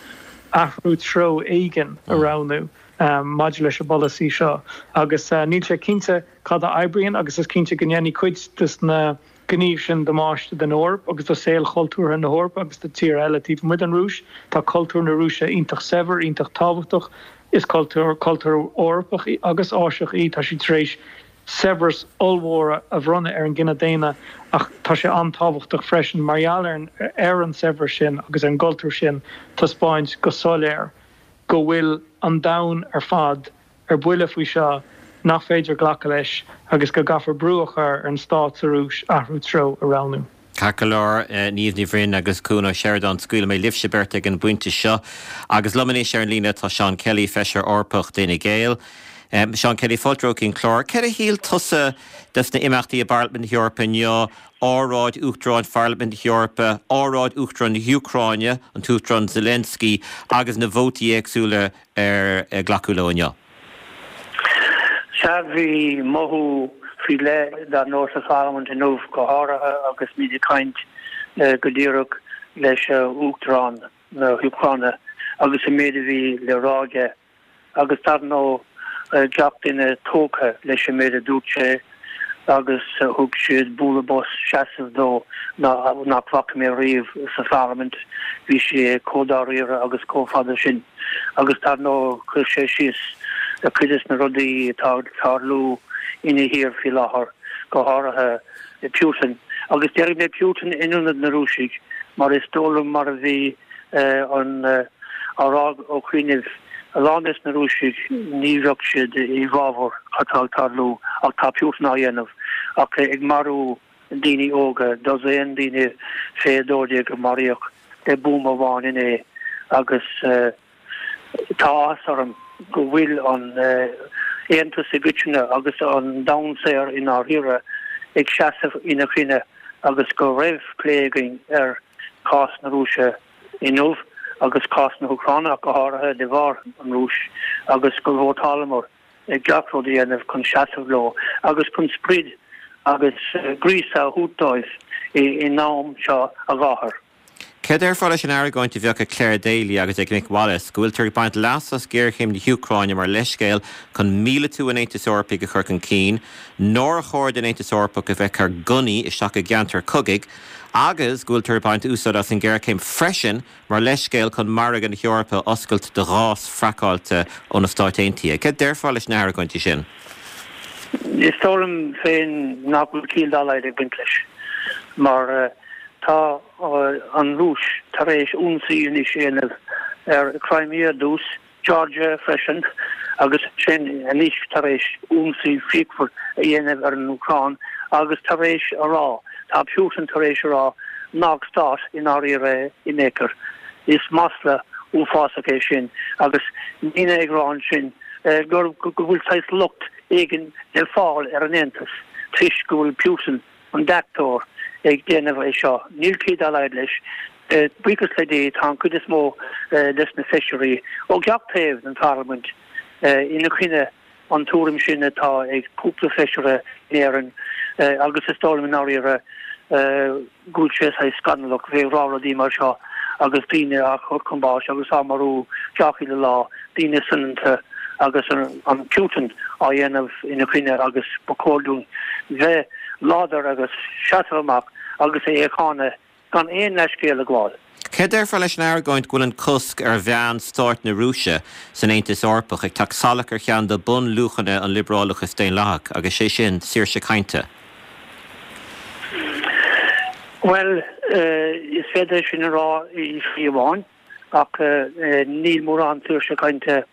athrú treo éigin a roghnú maidir leis an bpolasaí seo. Agus níl sé cinnte cad a oibríonn agus is cinnte go ndéanfaidh cuid de na gnímh sin damáiste don Eoraip agus do saol chultúrtha na hEorpa agus do tíortha eile taobh amuigh den Rúis. Tá cultúr na Rúise iontach saibhir, iontach tábhachtach. Is cultúr cultúr Eorpach agus Áiseach í. Tá sí tar éis saibhreas ollmhór a bhronnadh ar an gcine daonna ach tá sé an-tábhachtach freisin mar gheall ar an saibhreas sin agus ar an gcultúr sin taispeáint go soiléir go bhfuil an domhan ar fad ar buile faoi seo, nach féidir glacadh leis agus go gcaithfear brú a chur ar an stát sa Rúis athrú treo a roghnú. Ceart go leor, Niamh Ní Bhroin agus Cuan Ó Seireadáin, scaoilfidh mé libhse beirt ag an bpointe seo. Agus liom anois ar an líne tá Seán Kelly, Feisire Eorpach d'Fhine Gael. Seán Kelly, fáilte romhat chuig an chlár. Céard a shíl tusa des na imeachtaí i bParlaimint na hEorpa inniu, óráid Uachtaráin Pharlaimint na hEorpa, óráid Uachtarán na hÚcráine, an tUachtarán Zelensky, agus na vótaí éagsúla ar glacadh leo inniu. Sea, bhí mothú faoi leith dar ndóigh sa Pharlaimint inniu, go háirithe agus muid ag caint go díreach leis Uachtarán na hÚcráine agus an méid a bhí le rá aige. Agus dar ndóigh gach duine tógtha leis an méid a dúirt sé agus thug siad bualadh bos seasaimh dó nach bhfaca mé riamh sa Pharlaimint. Bhí sé chomh dáiríre agus chomh fada sin. Agus dar ndóigh chuir sé síos cuid des na rudaí atá ag tarlú ina thír faoi láthair, go háirithe Putin. Agus déarfaidh mé Putin in ionad na Rúisigh mar is dóigh liom mar a bhí an á rá ó chianaibh, a lán des na Rúisigh ní bheadh siad i bhfabhar cad tá ag tarlú ach tá Putin á dhéanamh ach ag marú daoine óga, dosaen daoine fé 12 a maraíodh le buama amháin inné agus tá áthas orm go bhfuil an Aontas i gcoitinne agus an domhan saor i ndáiríre ag seasamh ina choinne agus go raibh plé againn ar cás na Rúise inniu agus cás na hÚcráine ach go háirithe de bharr an Rúis agus gur vótálamar ag gach rud a dhéanamh chun seasamh leo agus chun sprid agus gríosadh a thabhairt dóibh in am seo a gháthair. Céard a déarfá leis an argóint a bheadh ag Clare Daly agus ag Mick Wallace go bhfuiltear ag baint leas as géarchéim na hÚcráine mar leithscéal chun míleatú an Aontais Eorpaigh a chur chun cinn, nár chóir don Aontas Eorpach a bheith ag cur gunnaí isteach i gceantair chogaidh agus go bhfuiltear ag baint úsáid as an ghéarchéim freisin mar leithscéal chun margadh na hEorpa a oscailt do ghás fraiceáilte ó na Stáit Aontaithe. Céard déarfá leis na hargóintí sin? Is dóigh liom féin nach bhfuil ciall dá laghad ag baint leis mar. Tá an Rúis tar éis ionsaí anois a dhéanamh ar Crimea ar dtús, Georgia freisin, agus ansin anois tar éis ionsaí fíochmhar a dhéanamh ar an Úcráin agus tar éis a rá, tá Putin tar éis a rá nach stát i ndáiríre é in aon chor. Is masla uafásach é sin agus daoine ag rá ansin gur go bhfuil saghas locht éigin le fáil ar an Aontas toisc go bhfuil Putin an deachtóir ag déanamh é seo. Níl cead dá laghad leis. Buíochas le Dia tá an chuid is mó des na feisirí ó gach taobh den pharlaimint ina choinne an tuairim sin atá ag cúpla feisire in Éirinn agus is dóigh liom i ndáiríre go bhfuil sé saghas scannalach bheith ag rá rudaí mar seo agus daoine á chur chun báis agus á marú gach uile lá, daoine soineanta agus an Putin á dhéanamh ina choinne agus ba chóir dúinn bheith láidir agus seasamh amach agus é a cháineadh gan aon leithscéal a ghabháil. Cé a déarfá leis an argóint go bhfuil an cosc ar mheáin stáit na Rúise san Aontas Eorpach ag teacht salach ar cheann de bunluachanna an liobrálachais daonlathach, agus sé sin, saoirse cainte? Bhuel, is féidir é sin a rá i slí amháin, ach níl mórán saoirse cainte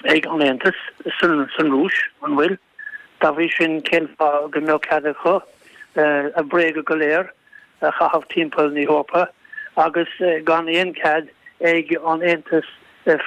ag an Aontas san Rúis, an bhfuil? Dá bhrí sin, cén fáth go mbeadh cead acu a bréaga go léir a chaitheamh timpeall na hEorpa agus gan aon chead ag an Aontas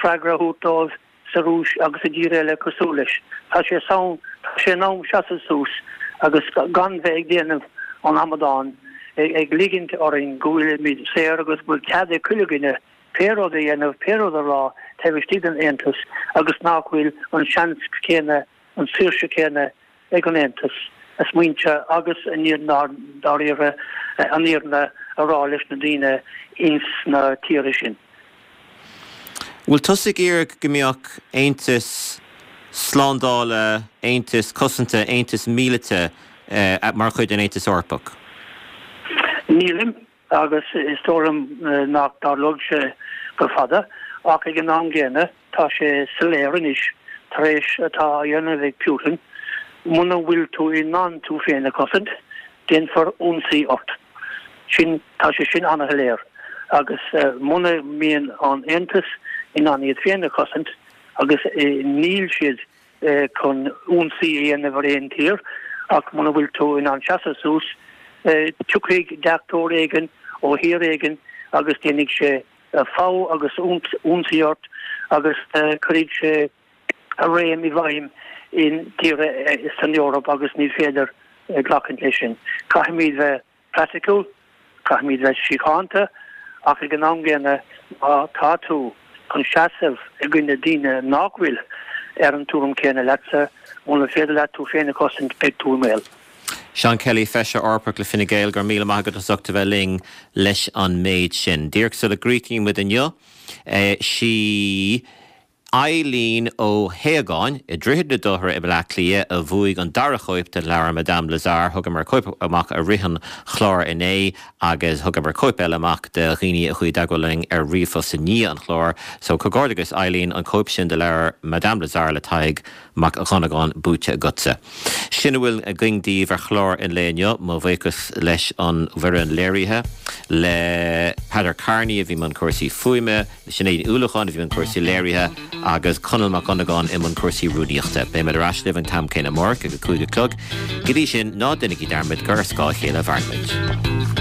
freagra a thabhairt dóibh sa Rúis agus i dtír eile cosúil leis? Tá sé san, tá sé in am seasamh suas agus gan bheith ag déanamh an amadáin, ag ligint orainn go bhfuilimid saor agus go bhfuil cead ag chuile dhuine pé rud a dhéanamh, pé rud a rá taobh istigh den Aontas agus nach bhfuil an seans céanna, an saoirse céanna ag an Aontas a smaointe agus i ndáiríre an fhírinne a rá leis na daoine ins na tíortha sin. Bhfuil tusa ag iarraidh go mbeadh aontas slándála, aontas cosanta, aontas míleata mar chuid den Aontas Eorpach? Nílim. agus is dóigh liom nach dtarlóidh sé go fada, ach ag an am gcéanna tá sé soiléir anois, tar éis atá á dhéanamh ag Putin, muna bhfuil tú in ann tú féin a chosaint, déanfar ionsaí ort. Sin, tá sé sin an-shoiléir. Agus muna mbíonn an Aontas in ann iad féin a chosaint, agus níl siad chun ionsaí a dhéanamh ar aon tír, ach muna bhfuil tú in ann seasamh suas, tiocfaidh deachtóir éigin ó thír éigin agus déanfaidh sé fogha agus ionsaí ort agus cuirfidh sé a réim i bhfeidhm in tíortha san Eoraip agus ní féidir glacaint leis sin. Caithfimid bheith praiticiúil, caithfimid bheith síochánta, ach ag an am gcéanna má tá tú chun seasamh i gcoinne daoine nach bhfuil ar an tuairim chéanna leatsa, muna féidir leat tú féin a chosaint, beidh tú i mbaol. Seán Kelly, Feisire Eorpach le Fine Gael, go raibh míle maith agat as ucht a bheith linn leis an méid sin. Díreach sula gcríochnaíonn muid inniu, sí. Eileen Ó hAodhagáin, i Droichead na Dothra i mBaile Átha Cliath, a bhuaigh an dara chóip den leabhar Madame Lazare. Thugamar cóip amach i rith an chláir inné agus thugamar cóip eile amach do dhaoine a chuaigh i dteagmháil linn ar ríomhphost i ndiaidh an chláir. So, comhghairdeachas Eileen, an cóip sin de leabhar Madame Lazare le Tadhg Mac Dhonnagáin buaite agatsa. Sin a bhfuil againn daoibh ar chlár an lae inniu. Mo bhuíochas leis an bhfoireann léirithe, le Peadar Kearney a bhí i mbun cúrsaí fuaime, le Sinéad Ní Uallacháin a bhí i mbun cúrsaí léirithe agus Conall Mac Dhonnagáin i mbun cúrsaí rúnaíochta. Beimid ar ais libh an t-am céanna amárach ag a 5 a chlog. Go dtí sin, ná déanaigí dearmad gur ar scáth a chéile a mhaireann muid.